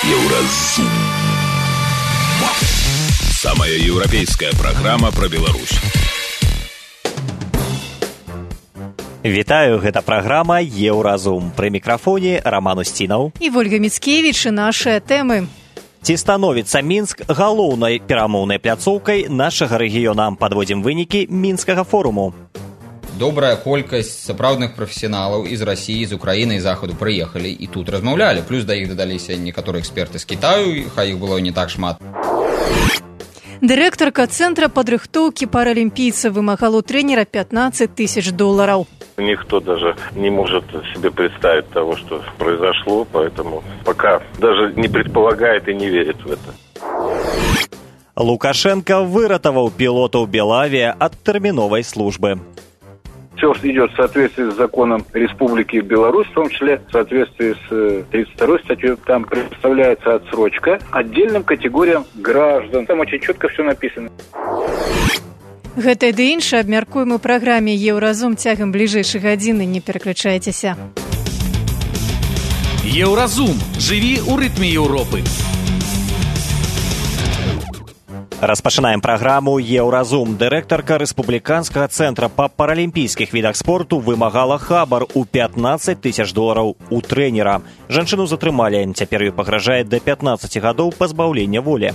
Еўразум. Самая еўрапейская праграма пра Беларусь. Вітаю, гэта праграма «Еўразум». Пры мікрафоне Роман Устінаў і Вольга Міцкевіч і нашыя тэмы. Ці становіцца Мінск галоўнай перамоўнай пляцоўкай нашага рэгіёна? Падводзім вынікі мінскага форуму. Добрая колькасць сапраўдных прафесіяналаў з Расіі, з Украіны і Захаду прыехалі і тут размаўлялі. Плюс да іх дадаліся некаторыя эксперты з Кітаю, хай іх было не так шмат. Дырэктарка цэнтра падрыхтоўкі паралімпійцаў вымагала у трэнера $15 000. Никто даже не может себе представить того, что произошло, поэтому пока даже не предполагает и не верит в это. Лукашенко выратаваў пілотаў Белавия ад тэрміновай службы. Все идет в соответствии с законом Республики Беларусь, в том числе в соответствии с 32 статьей. Там представляется отсрочка отдельным категориям граждан. Там очень четко все написано. Гэта ды іншае абмяркуем у праграме «Еўразум» цягам бліжэйшай гадзіны. Не пераключайцеся. Еўразум. Жыві ў рытме Еўропы. Распачынаем праграму «Еўразум». Дырэктарка рэспубліканскага цэнтра па паралімпійскіх відах спорту вымагала хабар у $15 000 у трэнера. Жанчыну затрымалі, цяпер ёй пагражае да 15 гадоў пазбаўлення волі.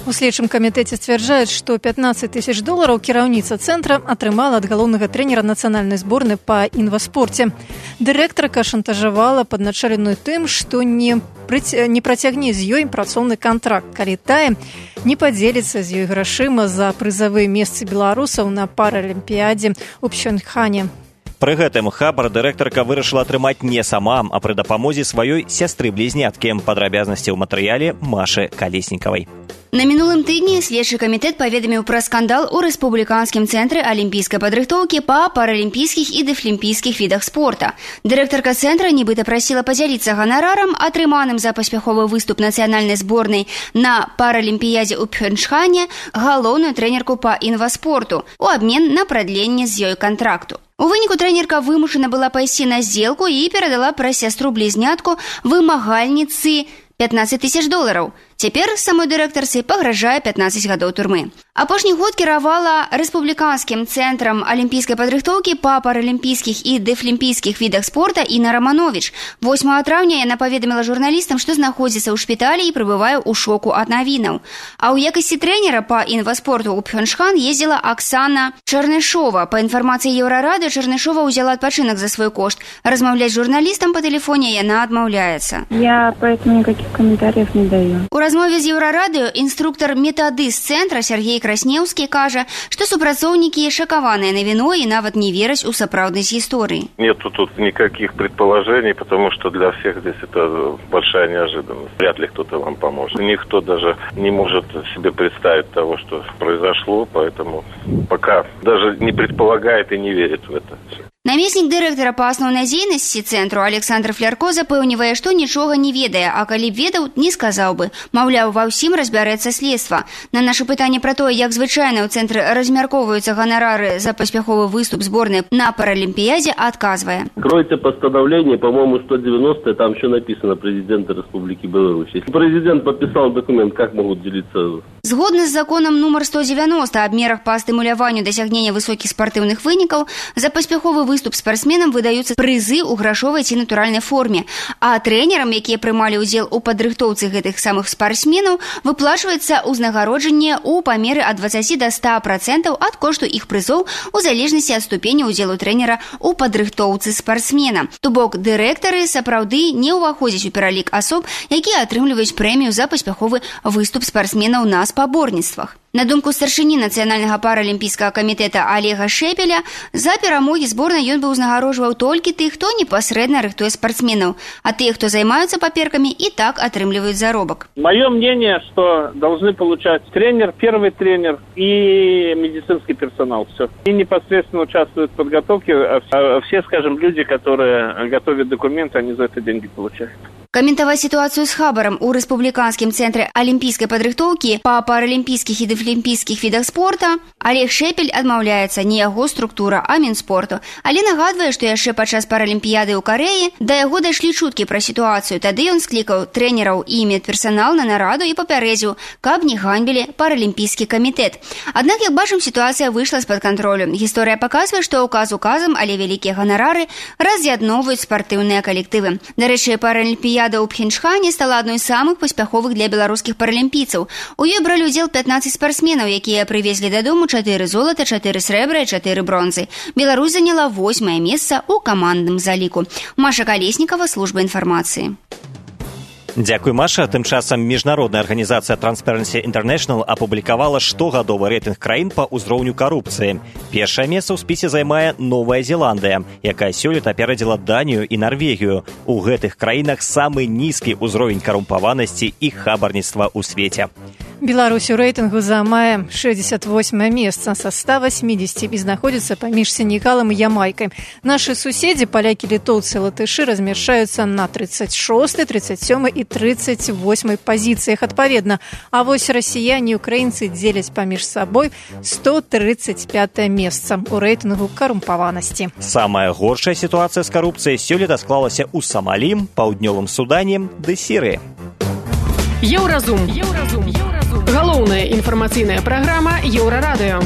У следчым камітэце сцвярджаюць, што $15 000 кіраўніца цэнтра атрымала ад галоўнага трэнера нацыянальнай зборнай па інваспорце. Дырэктарка шантажавала падначаленую тым, што не працягне з ёй працоўны кантракт, калі тая не падзеліцца з ёй грашыма за прызавыя месцы беларусаў на паралімпіядзе ў Пхёнчхане. Пры гэтым хабар дырэктарка вырашыла атрымаць не сама, а пры дапамозе сваёй сястры-блізняткі. Падрабязнасці ў матэрыяле Машы Калеснікавай. На мінулым тыдні следчы камітэт паведаміў пра скандал у рэспубліканскім цэнтры алімпійскай падрыхтоўкі па паралімпійскіх і дэфлімпійскіх відах спорта. Дырэктарка цэнтра нібыта прасіла падзяліцца ганарарам, атрыманым за паспяховы выступ нацыянальнай зборнай на паралімпіядзе ў Пхёнчхане, галоўную трэнерку па інваспорту у абмен на прадленне з ёй кантракту. У выніку трэнерка вымушана была пайсці на здзелку і перадала пра сястру-блізнятку вымагальніцы $15 000. Цяпер самой дырэктарцы пагражае 15 гадоў турмы. Апошні год кіравала рэспубліканскім цэнтрам алімпійскай падрыхтоўкі па паралімпійскіх і дэфлімпійскіх відах спорта Інна Раманович. 8 траўня яна паведаміла журналістам, што знаходзіцца ў шпіталі і прыбывае ў шоку ад навінаў. А ў якасці трэнера па інваспорту ў Пхёнчхан ездзіла Аксана Чарнышова. Па інфармацыі Еўрарадыё, Чарнышова ўзяла адпачынак за свой кошт. Размаўляць з журналістам па тэлефоне яна адмаўляецца. Я поэтому никаких комментариев не даю. У размове з Еўрарадыё інструктар метадыст цэнтра Сергей Краснеўскі кажа, што супрацоўнікі шакаваныя навіной і нават не вераць у сапраўднасць гісторыі. Нету тут никаких предположений, потому что для всех здесь это большая неожиданность. Вряд ли кто-то вам поможет. Никто даже не может себе представить того, что произошло, поэтому пока даже не предполагает и не верит в это. Намеснік дырэктара па асноўнай дзейнасці цэнтру Александр Флярко запэўнівае, што нічога не ведае, а калі б ведаў, не сказаў бы. Маўляў, ва ўсім разбярэцца следства. На наша пытанне пра тое, як звычайна ў цэнтры размяркоўваюцца ганарары за паспяховы выступ зборнай на паралімпіядзе, адказвае. Откройте постановление, по-моему, 190, там еще написано президента Республики Беларусь. Если президент подписал документ, как могут делиться? Згодна з законам нумар 190 аб мерах па стымуляванню дасягнення высокіх спартыўных вынікаў, за паспяховы выступ спартсменам выдаюцца прызы ў грашовай ці натуральнай форме, а трэнерам, якія прымалі ўдзел у падрыхтоўцы гэтых самых спартсменаў, выплачваецца ўзнагароджанне ў памеры ад 20 до 100% ад кошту іх прызоў у залежнасці ад ступені ўдзелу трэнера ў падрыхтоўцы спартсмена. То бок дырэктары сапраўды не ўваходзяць у пералік асоб, якія атрымліваюць прэмію за паспяховы выступ спартсменаў на спаборніцтвах. На думку старшыні нацыянальнага паралімпійскага камітэта Олега Шепеля, за перамогі зборнай ён бы ўзнагароджваў толькі тых, хто непасрэдна рыхтуе спартсменаў, а тыя, хто займаюцца паперкамі, і так атрымліваюць заробак. Мое мнение, что должны получать тренер, первый тренер и медицинский персонал. Все. И непосредственно участвуют в подготовке, а все, скажем, люди, которые готовят документы, они за это деньги получают. Каментаваць сітуацыю з хабарам у рэспубліканскім цэнтры алімпійскай падрыхтоўкі па паралімпійскіх і дэфлімпійскіх дэфлімпійскіх відах спорта, Олег Шепель адмаўляецца не яго структура, а Мінспорту. Але нагадвае, што яшчэ падчас паралімпіяды ў Карэі да яго дайшлі чуткі пра сітуацыю. Тады ён склікаў трэнераў і медперсанал на нараду і папярэдзіў, каб не ганьбілі паралімпійскі камітэт. Аднак, як бачым, сітуацыя выйшла з-пад кантролю. Гісторыя паказвае, што ўказ указам, але вялікія ганарары раз'ядноўваюць спартыўныя калектывы. Дарэчы, паралімпіяда ў Пхенчхане стала адной з самых паспяховых для беларускіх паралімпійцаў. У ёй бралі ўдзел 15 спартсменаў, якія прывезлі дадому 4 золата, 4 срэбра і 4 бронзы. Беларусь заняла 8-е месца ў камандным заліку. Маша Калеснікава, служба інфармацыі. Дзякуй, Маша. Тым часам міжнародная арганізацыя Transparency International апублікавала штогадовы рэйтынг краін па ўзроўню карупцыі. Першае месца ў спісе займае Новая Зеландыя, якая сёлета аперадзіла Данію і Нарвегію. У гэтых краінах самы нізкі ўзровень карумпаванасці і хабарніцтва ў свеце. Беларусь у рэйтынгу займае 68-е месца са 180 і знаходзіцца паміж Сенегалам і Ямайкай. Нашы суседзі, палякі, літоўцы і латышы, размяшчаюцца на 36-й, 37-й і 38-й пазіцыях адпаведна. А вось расіяне і украінцы дзеляць паміж сабой 135-е месца у рэйтынгу карумпаванасці. Самая горшая сітуацыя з карупцыяй сёлета склалася ў Самалі, Паўднёвым Судане ды Сірыі. Еўразум. Галоўная інфармацыйная праграма Еўрарадыё.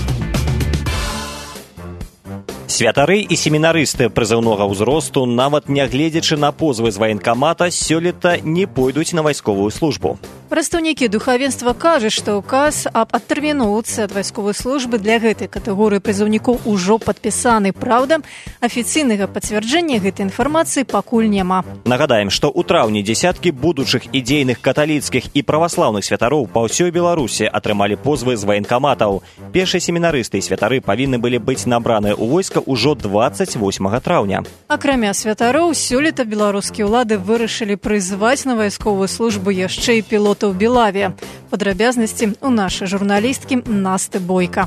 Святары і семінарысты прызыўнога ўзросту, нават нягледзячы на позвы з ваенкамата, сёлета не пойдуць на вайсковую службу. Прадстаўнікі духавенства кажуць, што ўказ аб адтэрміноўцы ад вайсковай службы для гэтай катэгорыі прызыўнікоў ужо падпісаны. Праўда, афіцыйнага пацвярджэння гэтай інфармацыі пакуль няма. Нагадаем, што ў траўні дзесяткі будучых ідзейных каталіцкіх і праваслаўных святароў па ўсёй Беларусі атрымалі позвы з ваенкаматаў. Першыя семінарысты і святары павінны былі быць набраныя ў войска ўжо 28 траўня. Акрамя святароў, сёлета беларускія ўлады вырашылі прызваць на вайсковую службу яшчэ і пілотаў Белавія. Падрабязнасці у нашай журналісткі Насты Бойка.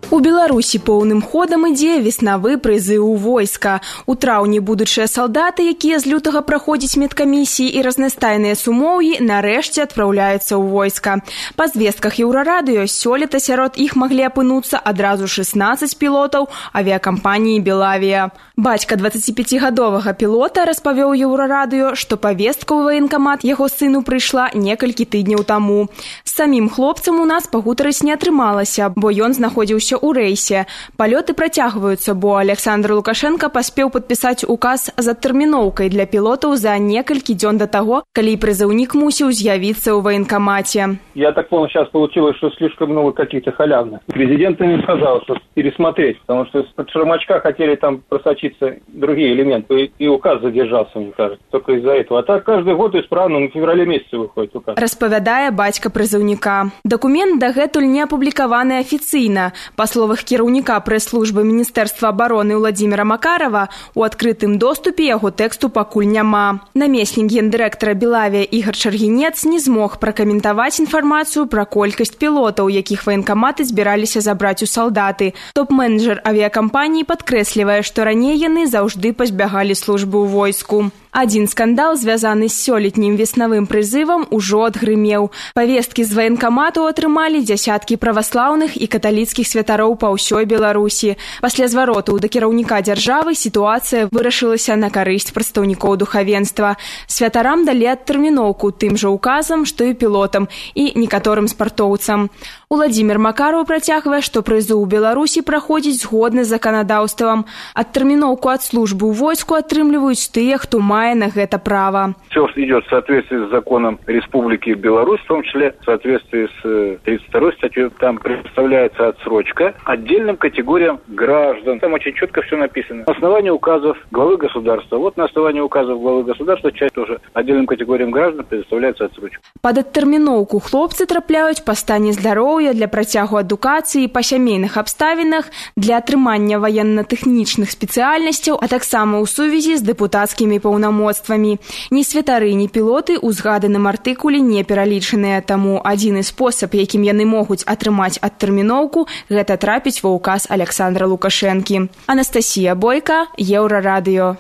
У Беларусі поўным ходам ідзе веснавы прызыў у войска. У траўні будучыя салдаты, якія з лютага праходзяць медкамісіі і разнастайныя сумоўі, нарэшце адпраўляюцца ў войска. Па звестках Еўрарадыё сёлета сярод іх маглі апынуцца адразу 16 пілотаў авіякампаніі «Белавія». Бацька 25-гадовага пілота распавёў Еўрарадыё, што павестка ў ваенкамат яго сыну прыйшла некалькі тыдняў таму. З самім хлопцам у нас пагутарыць не атрымалася, бо ён знаходзіўся ў рэйсе. Палёты працягваюцца, бо Александр Лукашенко паспеў падпісаць указ з адтэрміноўкай для пілотаў за некалькі дзён да таго, калі прызыўнік мусіў з'явіцца ў ваенкамате. Я так понял, сейчас получилось, что слишком много каких-то халявных. Президент им сказал, что пересмотреть, потому что с-под шармачка хотели там просочиться другие элементы, и указ задержался, мне кажется, только из-за этого. А так каждый год исправно, в феврале месяце выходит указ. Распавядае бацька прызыўніка. Дакумент дагэтуль не апублікаваны афіцыйна. Па словах кіраўніка прэс-службы Міністэрства абароны Владзіміра Макарова, у адкрытым доступе яго тэксту пакуль няма. Намеснік гендырэктара Белавія Ігар Чаргінец не змог пракаментаваць інфармацыю пра колькасць пілотаў, якіх ваенкаматы збіраліся забраць у салдаты. Топ-менеджер авіякампаніі падкрэслівае, што раней яны заўжды пазбягалі службы ў войску. Адзін скандал, звязаны з сёлетнім веснавым прызывам, ужо адгрымеў. Павесткі з ваенкамату атрымалі дзясяткі праваслаўных і каталіцкіх святароў па ўсёй Беларусі. Пасля звароту да кіраўніка дзяржавы сітуацыя вырашылася на карысць прадстаўнікоў духавенства. Святарам далі адтэрміноўку тым жа указам, што і пілотам, і некаторым спартоўцам. Владзімір Макаров працягвае, што прызыў у Беларусі праходзіць згодна з заканадаўствам. Адтэрміноўку ад службы ў войску атрымліваюць тыя, хто мае на гэта права. Все идет в соответствии с законом Республики Беларусь, в том числе в соответствии с 32 статьей. Там представляется отсрочка отдельным категориям граждан. Там очень четко все написано. На основании указов главы государства. Вот на основании указов главы государства часть тоже отдельным категориям граждан предоставляется отсрочка. Пад адтэрміноўку хлопцы трапляюць па стане здароўя, для працягу адукацыі, па сямейных абставінах, для атрымання ваенна-тэхнічных спецыяльнасцяў, а таксама ў сувязі з дэпутацкімі паўнамоцтвамі. Ні святары, ні пілоты ў згаданым артыкуле не пералічаныя, таму адзіны спосаб, якім яны могуць атрымаць адтэрміноўку, гэта трапіць ва ўказ Александра Лукашэнкі. Анастасія Бойка, Еўрарадыё.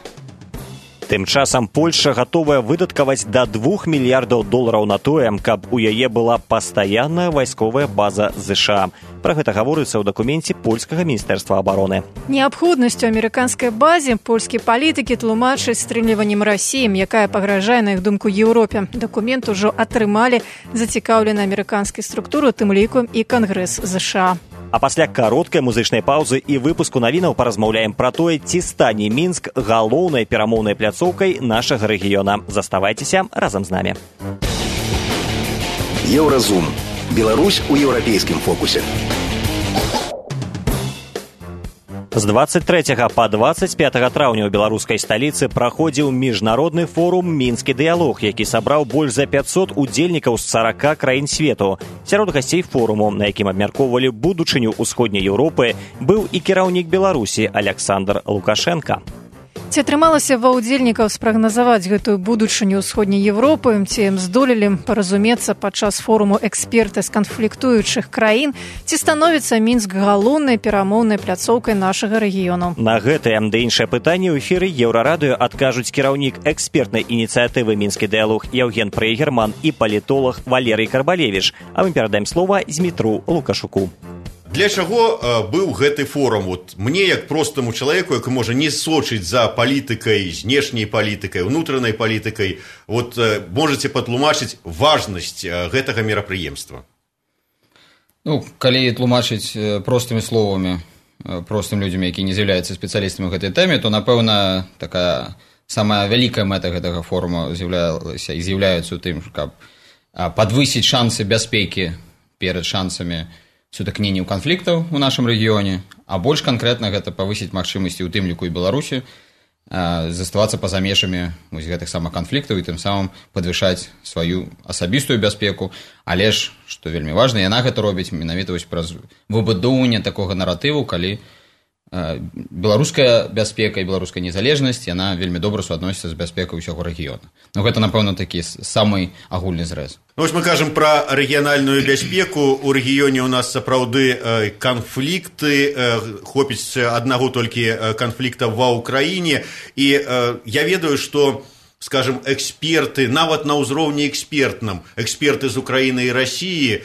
Тым часам Польша гатовая выдаткаваць да $2 мільярдаў на тое, каб у яе была пастаянная вайсковая база ЗША. Пра гэта гаворыцца ў дакуменце польскага міністэрства абароны. Неабходнасцю амерыканскай базе польскія палітыкі тлумачаць стрымліваннем Расіі, якая пагражае, на іх думку, Еўропе. Дакумент ужо атрымалі зацікаўленыя амерыканскай структуры, тым ліку і Кангрэс ЗША. А пасля кароткай музычнай паўзы і выпуску навінаў паразмаўляем пра тое, ці стане Мінск галоўнай перамоўнай пляцоўкай нашага рэгіёна. Заставайцеся разам з намі. Еўразум. Беларусь у еўрапейскім фокусе. З 23 па 25 траўня ў беларускай сталіцы праходзіў міжнародны форум «Мінскі дыялог», які сабраў больш за 500 удзельнікаў з 40 краін свету. Сярод гасцей форуму, на якім абмяркоўвалі будучыню ўсходняй Еўропы, быў і кіраўнік Беларусі Александр Лукашенко. Ці атрымалася ва ўдзельнікаў спрагназаваць гэтую будучыню ўсходняй Еўропы, ці здолелі паразумецца падчас форуму эксперты з канфліктуючых краін, ці становіцца Мінск галоўнай перамоўнай пляцоўкай нашага рэгіёну? На гэтае ды іншае пытанне ў эфіры Еўрарадыё адкажуць кіраўнік экспертнай ініцыятывы «Мінскі дыялог» Яўген Прейгерман і палітолог Валерый Карбалевіч. А мы перадаем слова Змітру Лукашуку. Для чаго быў гэты форум? Мне, як простаму чалавеку, які можа не сочыць за палітыкай, знешняй палітыкай, унутранай палітыкай, можаце патлумачыць важнасць гэтага мерапрыемства? Калі тлумачыць простымі словамі простым людзям, які не з'яўляюцца спецыялістамі ў гэтай тэме, то, напэўна, такая самая вялікая мэта гэтага форума з'яўляецца ў тым, каб падвысіць шансы бяспекі перад шансамі сутыкненняў канфліктаў у нашым рэгіёне, а больш канкрэтна гэта павысіць магчымасці ў тым ліку і Беларусі заставацца па-за межамі гэтых самых канфліктаў і тым самым падвышаць сваю асабістую бяспеку, але ж, што вельмі важна, яна гэта робіць менавіта праз выбудоўванне такога наратыву, калі беларуская бяспека і беларуская незалежнасць, яна вельмі добра суадносіцца з бяспекай усяго рэгіёна. Гэта, напэўна, такі самы агульны зрэз. Вось мы кажам пра рэгіянальную бяспеку. У рэгіёне у нас сапраўды канфлікты, хопіць аднаго толькі канфлікта ва ўкраіне. І я ведаю, што, скажем, эксперты, нават на ўзроўні экспертным, эксперты з Украіны і Расіі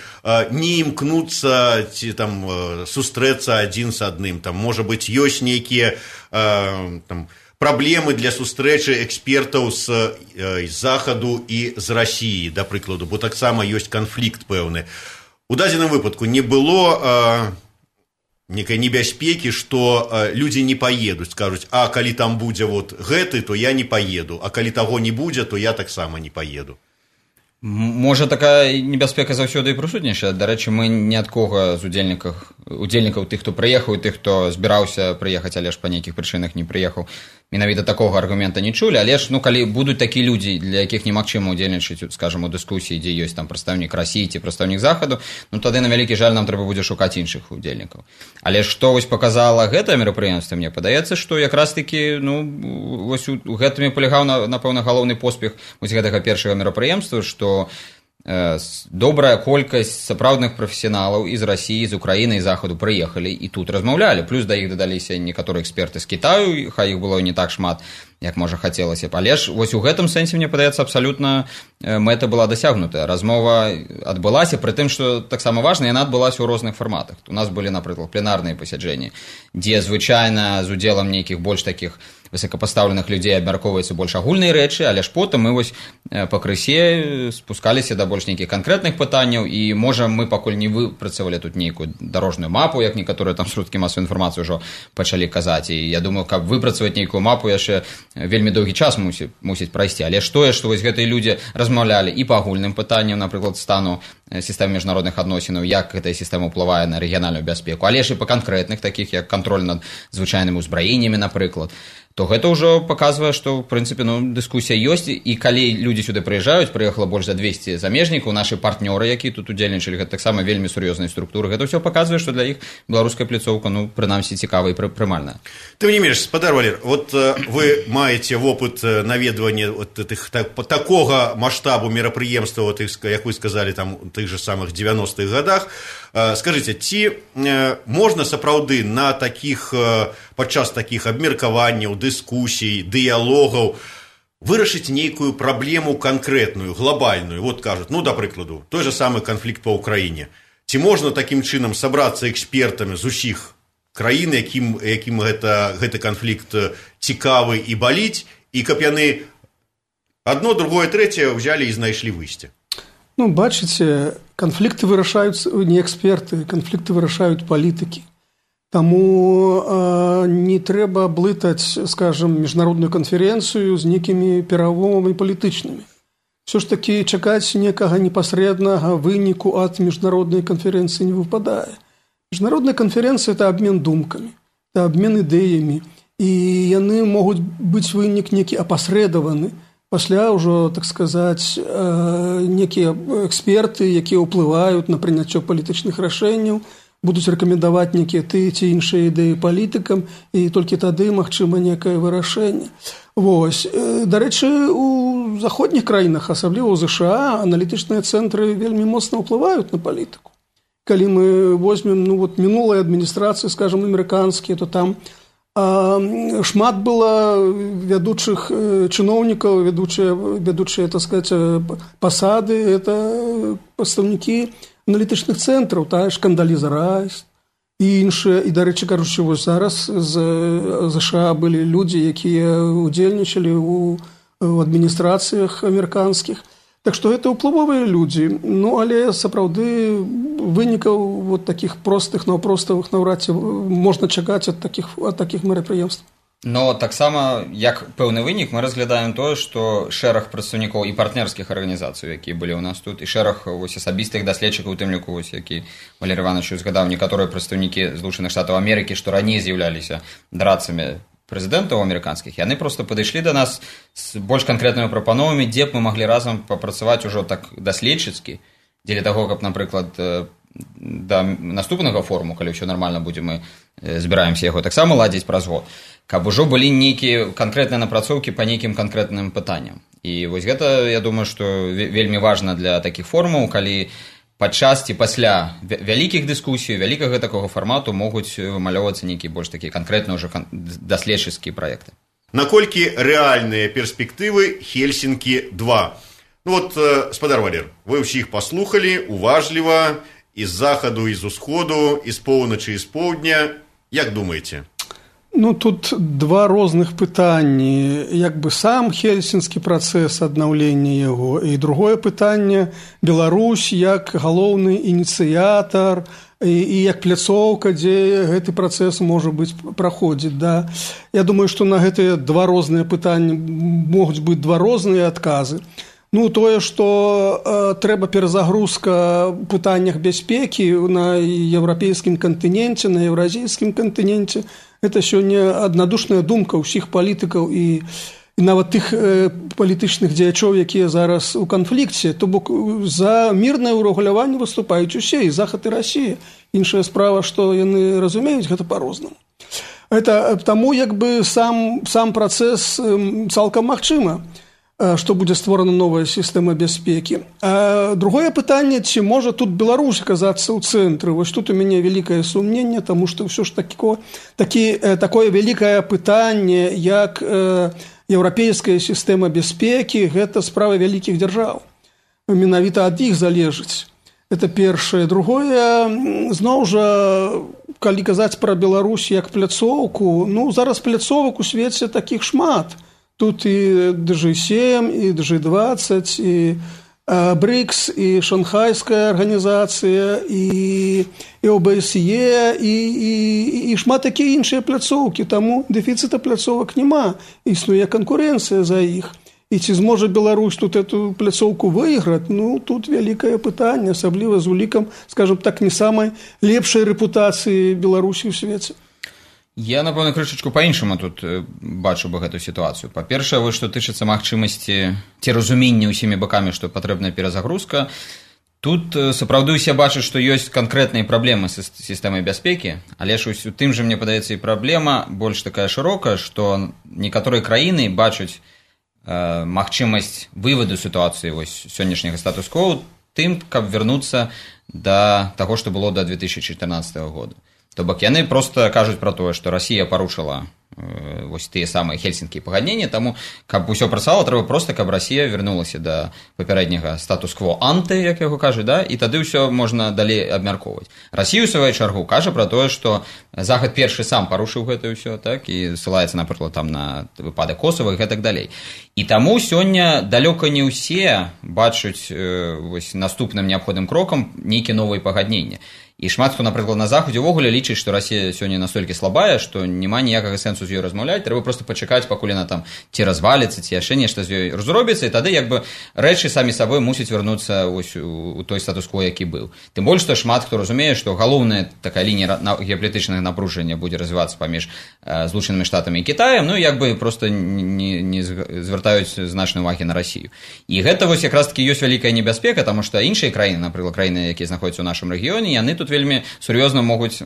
не імкнуцца ці там сустрэцца адзін з адным. Там, можа быць, ёсць нейкія праблемы для сустрэчы экспертаў з Захаду і з Расіі, да прыкладу, бо таксама ёсць канфлікт пэўны. У дадзеным выпадку не было некай небяспекі, што людзі не паедуць, скажуць, а калі там будзе гэты, то я не паеду, а калі таго не будзе, то я таксама не паеду. Можа, такая небяспека заўсёды і прысутнічае. Дарэчы, мы ні ад кога з удзельнікаў тых, хто прыехаў, і тых, хто збіраўся прыехаць, але ж па нейкіх прычынах не прыехаў, менавіта такога аргумента не чулі. Але ж, калі будуць такія людзі, для якіх немагчыма ўдзельнічаць, скажам, у дыскусіі, дзе ёсць там прадстаўнік Расіі ці прадстаўнік Захаду, тады, на вялікі жаль, нам трэба будзе шукаць іншых удзельнікаў. Але што паказала гэтае мерапрыемства, мне падаецца, што якраз-такі у гэтым палягаў, напэўна, галоўны поспех гэтага першага мерапрыемства, што добрая колькасць сапраўдных прафесіяналаў з Расіі, з Украіны і Захаду прыехалі і тут размаўлялі. Плюс да іх дадаліся некаторыя эксперты з Кітаю, хай іх было не так шмат, як можа хацелася б. Але ж у гэтым сэнсе, мне падаецца, абсалютна мэта была дасягнутая. Размова адбылася, пры тым, што таксама важна, яна адбылася ў розных фарматах. У нас былі, напрыклад, пленарныя пасяджэнні, дзе звычайна з удзелам нейкіх больш такіх высокапастаўленых людзей абмяркоўваюцца больш агульныя рэчы, але ж потым мы пакрысе спускаліся да больш нейкіх канкрэтных пытанняў, і, можа, мы пакуль не выпрацавалі тут нейкую дарожную мапу, як некаторыя там сродкі масавай інфармацыі ўжо пачалі казаць. І я думаю, каб выпрацаваць нейкую мапу, яшчэ вельмі доўгі час мусіць прайсці. Але ж тое, што гэтыя людзі размаўлялі і па агульным пытанням, напрыклад, стану сістэмы міжнародных адносінаў, як гэтая сістэма ўплывае на рэгіянальную бяспеку, але ж і па канкрэтных, такіх як кантроль над звычайнымі ўзбраеннямі, напрыклад, то гэта ўжо паказвае, што, ў прынцыпе, дыскусія ёсць, і калі людзі сюды прыязджаюць, прыехала больш за 200 замежнікаў, нашы партнёры, якія тут удзельнічалі, гэта таксама вельмі сур'ёзныя структуры, гэта ўсё паказвае, што для іх беларуская пляцоўка, прынамсі, цікавая і прымальная. Тым не менш, спадар Валер, вы маеце вопыт наведвання такога маштабу мерапрыемства, як вы сказалі, там, у тых же самых 90-х годах. Скажыце, ці можна сапраўды на падчас такіх абмеркаванняў, дыскусій, дыялогаў вырашыць нейкую праблему канкрэтную, глобальную. Вот кажуць, ну, да прыкладу, той же самы канфлікт па ўкраіне. Ці можна такім чынам сабрацца экспертамі з усіх краін, якім гэты канфлікт цікавы і баліць, і каб яны одно, другое, трэцяе взялі і знайшлі выйсце? Ну, бачыце, канфлікты вырашаюць не эксперты, канфлікты вырашаюць палітыкі. Таму не трэба блытаць, скажем, міжнародную канферэнцыю з нейкімі перамовамі палітычнымі. Все ж таки чакаць некага непасрэднага выніку ад міжнароднай канферэнцыі не выпадае. Міжнародная канферэнцыя – это абмен думкамі, это абмен ідэямі, і яны могуць быць вынік некі апасрэдаваны. Пасля ўжо, так сказаць, некія эксперты, якія ўплываюць на прыняццё палітычных рашэнняў, будуць рэкамендаваць некія тыя ці іншыя ідэі палітыкам, і толькі тады магчыма некае вырашэнне. Вось. Дарэчы, у заходніх краінах, асабліва ў ЗША, аналітычныя цэнтры вельмі моцна ўплываюць на палітыку. Калі мы возьмем мінулыя адміністрацыі, скажем, амерыканскія, то там шмат было вядучых чыноўнікаў, вядучыя, так сказать, пасады, это прадстаўнікі аналітычных цэнтраў, тая ж Кандаліза Райс і іншыя. І, дарэчы, кажучы, вось зараз з ЗША былі людзі, якія удзельнічалі ў адміністрацыях амерыканскіх. Так што гэта ўплывовыя людзі. Ну, але сапраўды вынікаў вот такіх простых, наўпроставых наўрад ці можна чакаць ад такіх мерапрыемстваў. Но таксама, як пэўны вынік, мы разглядаем тое, што шэраг прадстаўнікоў і партнерскіх арганізацый, якія былі ў нас тут, і шэраг асабістых даследчыкаў, у тым ліку, які Валерый Иванович згадаў, некаторыя прадстаўнікі Злучаных Штатаў Амерыкі, што раней з'яўляліся драцамі прэзідэнтаў амерыканскіх, яны проста падышлі да нас з больш канкрэтнымі прапановамі, дзе б мы маглі разам папрацаваць ужо так даследчыцкі, дзеля таго, каб, напрыклад, да наступнага форуму, калі ўсё нармальна будзе, мы збіраемся яго таксама ладзіць праз год, каб ужо былі нейкія канкрэтныя напрацоўкі па нейкім канкрэтным пытанням. І вось гэта, я думаю, што вельмі важна для такіх форумаў, калі падчас ці пасля вялікіх дыскусій, вялікага такога фармату могуць вымалёўвацца нейкія больш такія канкрэтныя ўжо даследчыцкія праекты. Наколькі рэальныя перспектывы Хельсінкі-2? Ну вот, спадар Валер, вы ўсіх паслухалі уважліва, і з захаду, і з усходу, і з поўначы, і з поўдня. Як думаеце? Ну, тут два розных пытанні. Як бы сам хельсінскі працэс аднаўлення яго, і другое пытанне – Беларусь як галоўны ініцыятар і як пляцоўка, дзе гэты працэс можа быць праходзіць. Да? Я думаю, што на гэтыя два розныя пытанні могуць быць два розныя адказы. Ну, тое, што трэба перазагрузка ў пытаннях бяспекі на еўрапейскім кантыненце, на еўразійскім кантыненце, гэта сёння аднадушная думка ўсіх палітыкаў і нават тых палітычных дзеячоў, якія зараз у канфлікце. То бок за мірнае ўрэгуляванне выступаюць усе, і Захад, і Расія. Іншая справа, што яны разумеюць гэта па-рознаму. Таму як бы сам працэс цалкам магчыма, што будзе створана новая сістэма бяспекі. А другое пытанне, ці можа тут Беларусь аказацца ў цэнтры. Вось тут у мяне вялікае сумненне, таму што ўсё ж такое вялікае пытанне, як еўрапейская сістэма бяспекі, гэта справа вялікіх дзяржаў. Менавіта ад іх залежыць. Это першае. Другое, зноў жа, калі казаць пра Беларусь як пляцоўку, ну, зараз пляцовак у свеце такіх шмат. Тут і G7, і G20, і БРИКС, і Шанхайская арганізацыя, і ОБСЕ, і шмат такія іншыя пляцоўкі. Таму дэфіцыта пляцовак няма. Існуе канкурэнцыя за іх. І ці зможа Беларусь тут эту пляцоўку выйграць? Ну, тут вялікае пытанне, асабліва з улікам, скажем так, не самай лепшай рэпутацыі Беларусі ў свеце. Я, напэўна, крышачку па-іншаму тут бачу бы гэту сітуацыю. Па-першае, вось што тычыцца магчымасці ці разумення ўсімі бакамі, што патрэбная перазагрузка, тут сапраўды ўсе бачаць, што ёсць канкрэтныя праблемы з сістэмай бяспекі, але ж у тым жа, мне падаецца, і праблема больш такая шырокая, што некаторыя краіны бачаць магчымасць вываду сітуацыі вось сённяшняга статус-кво тым, каб вярнуцца да таго, што было да 2014 года. То бок яны проста кажуць пра тое, што Расія парушыла вось тыя самыя хельсінскія пагадненні, таму каб усё працавала, трэба проста, каб Расія вярнулася да папярэдняга статус-кво анты, як яго кажуць, да? І тады ўсё можна далей абмяркоўваць. Расія ў сваю чаргу кажа пра тое, што Захад першы сам парушыў гэта ўсё, так, і ссылаецца, напрыклад, там на выпадак Косава і гэтак далей. І таму сёння далёка не ўсе бачаць вось наступным неабходным крокам нейкія новыя пагадненні. І шмат хто, напрыклад, на Заходзе ўвогуле лічыць, што Расія сёння настолькі слабая, што няма ніякага сэнсу з ёй размаўляць, трэба проста пачакаць, пакуль яна там ці разваліцца, ці яшчэ нешта з ёй зробіцца, і тады як бы рэчы самі сабой мусяць вярнуцца у той статус-кво, які был. Тым больш, што шмат хто разумее, што галоўная такая лінія геапалітычнага напружання будзе развівацца паміж Злучанымі Штатамі і Кітаем, ну як бы проста не звяртаюць значнай увагі на Расію. І гэта вось якраз такі ёсць вялікая небяспека, таму што іншыя краіны, напрыклад, краіны, якія знаходзяцца ў нашым рэгіёне, яны тут вельмі сур'ёзна могуць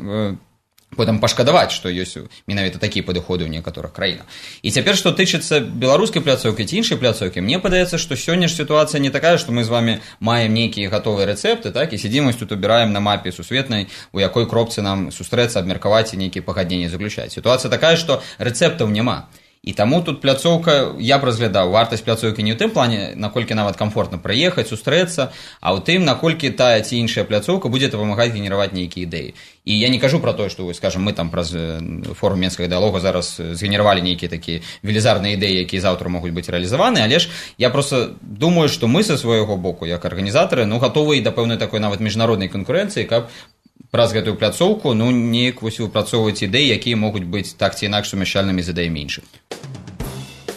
потым пашкадаваць, што ёсць менавіта такія падыходы ў некаторых краінах. І цяпер, што тычыцца беларускай пляцоўкі ці іншай пляцоўкі, мне падаецца, што сёння ж сітуацыя не такая, што мы з вами маем нейкія гатовыя рэцэпты, так, і сядзім тут убіраем на мапе сусветнай, у якой кропцы нам сустрэцца, абмеркаваць і нейкія пагадненні заключаць. Сітуацыя такая, што рэцэптаў няма. І таму тут пляцоўка, я б разглядаў вартасць пляцоўкі не ў тым плане, наколькі нават комфортна прыехаць, сустрэцца, а ў тым, наколькі тая ці іншая пляцоўка будзе дапамагаць генераваць нейкія ідэі. І я не кажу пра тое, што, скажем, мы там праз форум Менскага дыялога зараз згенеравалі нейкія такія велізарныя ідэі, якія заўтра могуць быць рэалізаваны, але ж я проста думаю, што мы са свайго боку, як арганізатары, гатовы і да пэўнай такой нават міжнароднай канкурэнцыі, каб праз гэтую пляцоўку, неяк вось выпрацоўваць ідэі, якія могуць быць так ці інакш сумяшчальнымі з ідэямі іншых.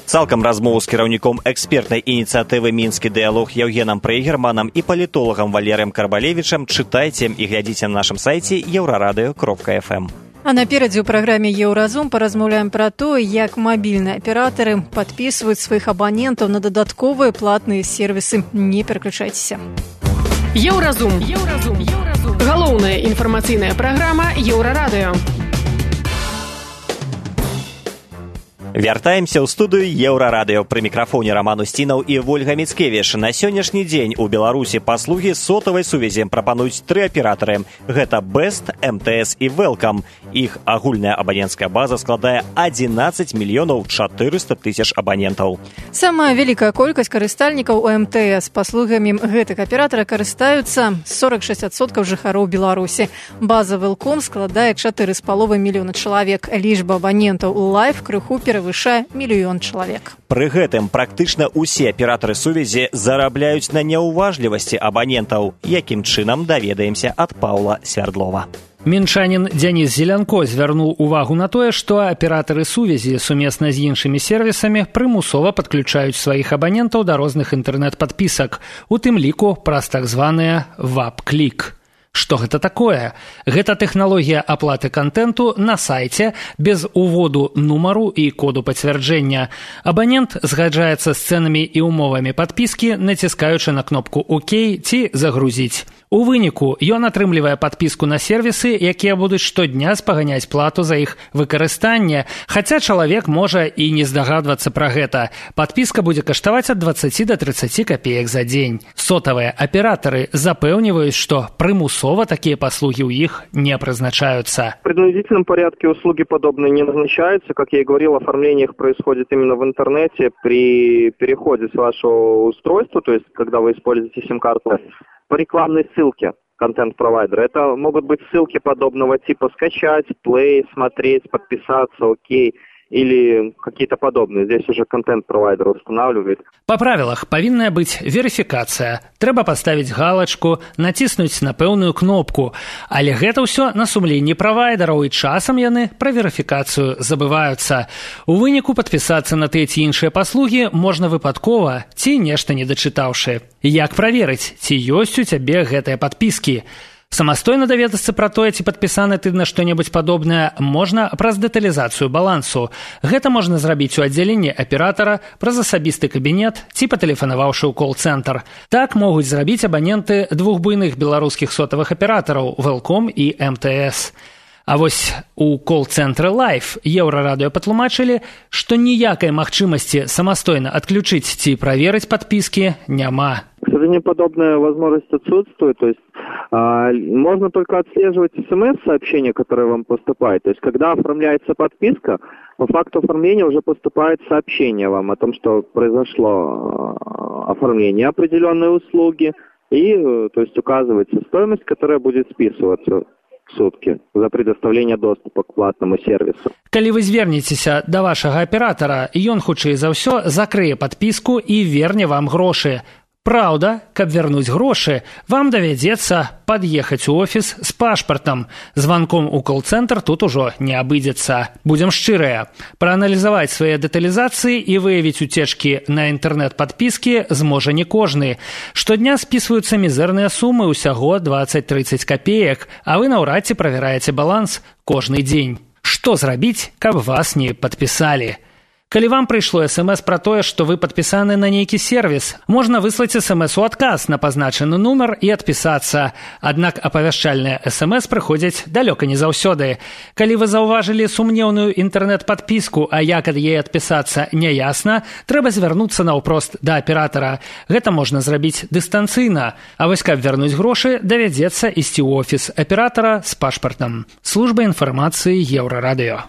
Цалкам размову з кіраўніком экспертнай ініцыятывы «Мінскі дыялог» Яўгенам Прейгерманам і палітолагам Валерыем Карбалевічам чытайце і глядзіце на нашым сайце еўрарадыё.фм. А наперадзе ў праграме «Еўразум» паразмаўляем пра тое, як мабільныя аператары падпісваюць сваіх абанентаў на дадатковыя платныя сервісы. Не пераключайцеся. Еўразум. Галоўная інфармацыйная праграма Еўрарадыё. Вяртаемся ў студыю Еўрарадыё. Пры мікрафоне Раман Усцінаў і Вольга Міцкевіч. На сённяшні дзень у Беларусі паслугі сотавай сувязі прапануюць 3 аператары. Гэта Best, МТС і Welcome. Іх агульная абаненцкая база складае 11 мільёнаў 400 тысяч абанентаў. Самая вялікая колькасць карыстальнікаў у МТС. Паслугамі гэтых аператара карыстаюцца 46% жыхароў Беларусі. База Welcome складае 4,5 мільёна чалавек. Лічба абанентаў у Life крыху перавышае 1 мільён чалавек. Пры гэтым практычна ўсе аператары сувязі зарабляюць на няўважлівасці абанентаў. Якім чынам, даведаемся ад Паўла Свярдлова. Мінчанін Дзяніс Зелянко звярнуў увагу на тое, што аператары сувязі сумесна з іншымі сервісамі прымусова падключаюць сваіх абанентаў да розных інтэрнэт-падпісак, у тым ліку праз так званыя ВАП-клік. Што гэта такое? Гэта тэхналогія аплаты кантэнту на сайце без уводу нумару і коду пацвярджэння. Абанент згаджаецца з цэнамі і умовамі падпіскі, націскаючы на кнопку «Ок» ці «Загрузіць». У выніку ён атрымлівае падпіску на сервісы, якія будуць штодня спаганяць плату за іх выкарыстанне, хаця чалавек можа і не здагадвацца пра гэта. Падпіска будзе каштаваць ад 20 до 30 копеек за дзень. Сотавыя аператары запэўніваюць, што прымусова такие послуги у их не призначаются. В принудительном порядке услуги подобные не назначаются. Как я и говорил, оформление их происходит именно в интернете при переходе с вашего устройства, то есть когда вы используете сим-карту, по рекламной ссылке контент-провайдера. Это могут быть ссылки подобного типа скачать, плей, смотреть, подписаться, окей. Или какие-то подобные. Здесь уже контент-провайдер устанавливает. Па правілах павінная быць верыфікацыя. Трэба паставіць галачку, націснуць на пэўную кнопку. Але гэта ўсё на сумленні правайдераў, і часам яны пра верыфікацыю забываюцца. У выніку падпісацца на тыя ці іншыя паслугі можна выпадкова ці нешта не дачытаўшы. Як праверыць, ці ёсць у цябе гэтыя падпіскі? Самастойна даведацца пра тое, ці падпісаны ты на што-небудзь падобнае, можна праз дэталізацыю балансу. Гэта можна зрабіць у аддзяленні аператара, праз асабісты кабінет ці патэлефанаваўшы ў кол-цэнтр. Так могуць зрабіць абаненты двух буйных беларускіх сотавых аператараў Welcome і МТС. А вось у кол-цэнтры Life Еўрарадыё патлумачылі, што ніякай магчымасці самастойна адключыць ці праверыць падпіскі няма. К сожалению, подобная возможность отсутствует, то есть Можно только отслеживать СМС-сообщения, которые вам поступают. То есть, когда оформляется подписка, по факту оформления уже поступает сообщение вам о том, что произошло оформление определенной услуги, и, то есть, указывается стоимость, которая будет списываться в сутки за предоставление доступа к платному сервису. Калі вы звернецеся да вашага аператара, ён хутчэй за ўсё закрые падпіску і верне вам грошы. Праўда, каб вярнуць грошы, вам давядзецца пад'ехаць у офіс з пашпартам. Званком у кол-цэнтр тут ужо не абыдзецца. Будзем шчырыя. Прааналізаваць свае дэталізацыі і выявіць уцечкі на інтэрнэт-падпіскі зможа не кожны. Штодня спісваюцца мізэрныя сумы, усяго 20-30 капеек, а вы наўрад ці правяраеце баланс кожны дзень. Што зрабіць, каб вас не падпісалі? Калі вам прыйшло СМС пра тое, што вы падпісаны на нейкі сервіс, можна выслаць СМС у адказ на пазначаны нумар і адпісацца. Аднак апавяшчальныя СМС прыходзяць далёка не заўсёды. Калі вы заўважылі сумнеўную інтэрнэт-падпіску, а як ад яе адпісацца няясна, трэба звярнуцца наўпрост да аператара. Гэта можна зрабіць дыстанцыйна. А вось каб вярнуць грошы, давядзецца ісці ў офіс аператара з пашпартам. Служба інфармацыі Еўрарадыё.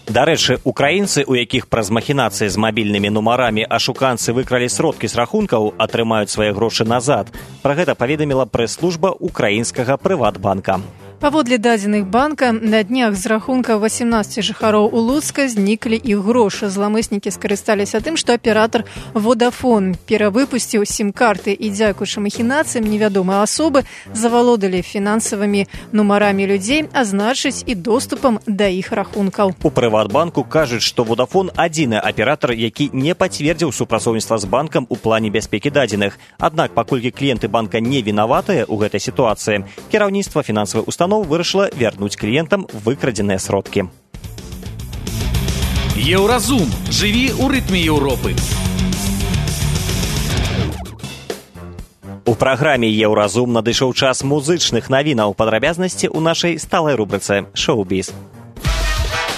Дарэчы, украінцы, у якіх праз махінацыі з мабільнымі нумарамі ашуканцы выкралі сродкі з рахункаў, атрымаюць свае грошы назад. Пра гэта паведаміла прэс-служба украінскага Прыватбанка. Паводле дадзеных банка, на днях з рахунка 18 жыхароў у Луцка зніклі іх грошы. Зламыснікі скарысталіся тым, што аператар Vodafone перавыпусціў сім-карты і, дзякуючы махінацыям, невядомыя асобы завалодалі фінансавымі нумарамі людзей, а значыць і доступам да іх рахункаў. У Прыватбанку кажуць, што Vodafone адзіны аператар, які не пацвердзіў супрацоўніцтва з банкам у плане бяспекі дадзеных. Аднак, паколькі кліенты банка не вінаватыя ў гэтай сітуацыі, кіраўніцтва фінансавай установы вырашыла вярнуць кліентам выкрадзеныя сродкі. Еўразум. Жыві ў рытме Еўропы. У праграме «Еўразум» надышоў час музычных навінаў. Падрабязнасці ў нашай сталай рубрыцы «Шоу-біз».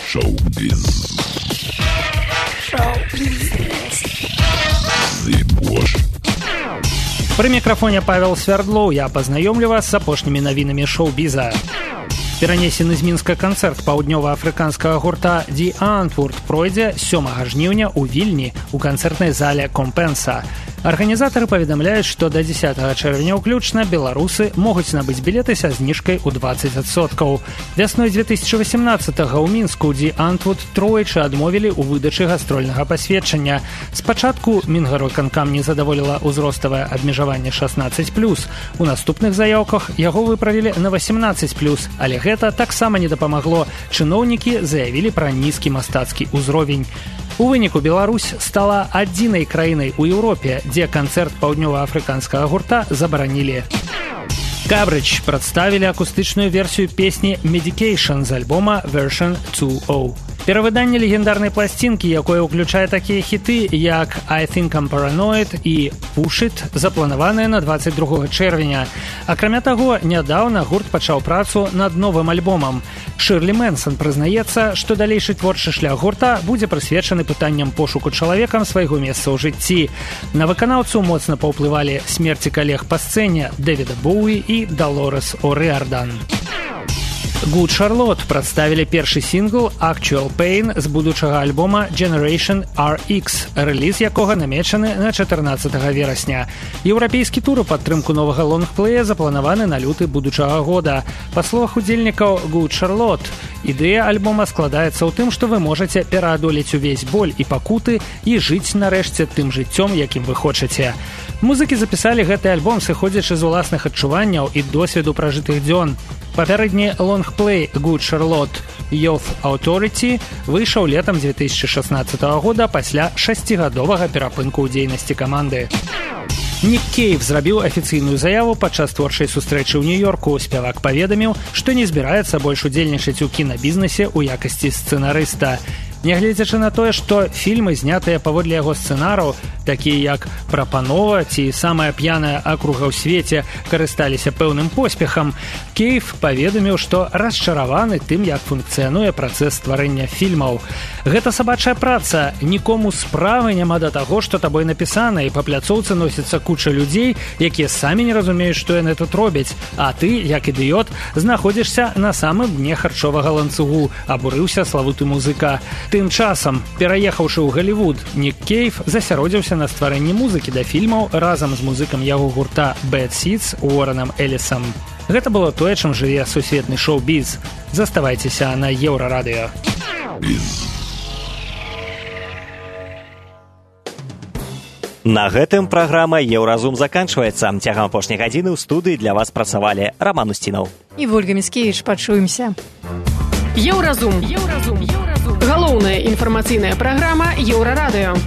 Шоу-біз. Пры мікрафоне Павел Свярдлоў, я пазнаёмлю вас з апошнімі навінамі шоу-біза. Перанесены з Мінска канцэрт паўднёва-афрыканскага гурта «The Antwoord» пройдзе 7 жніўня ў Вільні у канцэртнай зале «Компенса». Арганізатары паведамляюць, што да 10 чэрвеня ўключна беларусы могуць набыць білеты са зніжкай у 20%. Вясной 2018-го ў Мінску «The Antwoord» тройчы адмовілі ў выдачы гастрольнага пасведчання. Спачатку Мінгарвыканкам не задаволіла ўзроставае абмежаванне 16+. У наступных заяўках яго выправілі на 18+, але гэта таксама не дапамагло. Чыноўнікі заявілі пра нізкі мастацкі ўзровень. У выніку Беларусь стала адзінай краінай у Еўропе, дзе канцэрт паўднёва-афрыканскага гурта забаранілі. Габридж прадставілі акустычную версію песні «Medication» з альбома «Version 2.0». Перавыданне легендарнай пласцінкі, якое ўключае такія хіты, як «I think I'm paranoid» і «Push it», запланаваныя на 22 чэрвеня. Акрамя таго, нядаўна гурт пачаў працу над новым альбомам. Шырлі Мэнсон прызнаецца, што далейшы творчы шлях гурта будзе прысвечаны пытанням пошуку чалавекам свайго месца ў жыцці. На выканаўцу моцна паўплывалі смерці калег па сцэне Дэвіда Боуі і Далорес О'Риардан. Good Charlotte прадставілі першы сінгл «Actual Pain» з будучага альбома «Generation RX», рэліз якога намечаны на 14 верасня. Еўрапейскі тур у падтрымку новага лонгплея запланаваны на люты будучага года. Па словах удзельнікаў Good Charlotte, ідэя альбома складаецца ў тым, што вы можаце пераадолець увесь боль і пакуты і жыць нарэшце тым жыццём, якім вы хочаце. Музыкі запісалі гэты альбом, сыходзячы з уласных адчуванняў і досведу пражытых дзён. Папярэдні лонгплей «Good Charlotte Youth Authority» выйшаў летам 2016 года пасля 6гадовага перапынку ў дзейнасці каманды. Нік Кейв зрабіў афіцыйную заяву падчас творчай сустрэчы ў Нью-Йорку. Спявак паведаміў, што не збіраецца больш удзельнічаць у кінабізнесе ў якасці сцэнарыста. Нягледзячы на тое, што фільмы, знятыя паводле яго сцэнараў, такія як «Прапанова» ці «Самая п'яная акруга ў свеце», карысталіся пэўным поспехам, Кейв паведаміў, што расчараваны тым, як функцыянуе працэс стварэння фільмаў. Гэта сабачая праца, нікому справы няма да таго, што табой напісана, і па пляцоўцы носіцца куча людзей, якія самі не разумеюць, што яны тут робяць, а ты, як ідыёт, знаходзішся на самым дне харчовага ланцугу, абурыўся славуты музыка. Тым часам, пераехаўшы ў Галівуд, Нік Кейв засяродзіўся на стварэнні музыкі да фільмаў разам з музыкам яго гурта Bad Seeds Уорренам Элісам. Гэта было тое, чым жыве сусветны шоу-біз. Заставайцеся на Еўрарадыё. На гэтым праграма «Еўразум» заканчваецца. Цягам апошняй гадзіны ў студыі для вас працавалі Раман Устінаў і Вольга Міцкевіч. Пачуемся. Еўразум. Галоўная інфармацыйная праграма Еўрарадыё.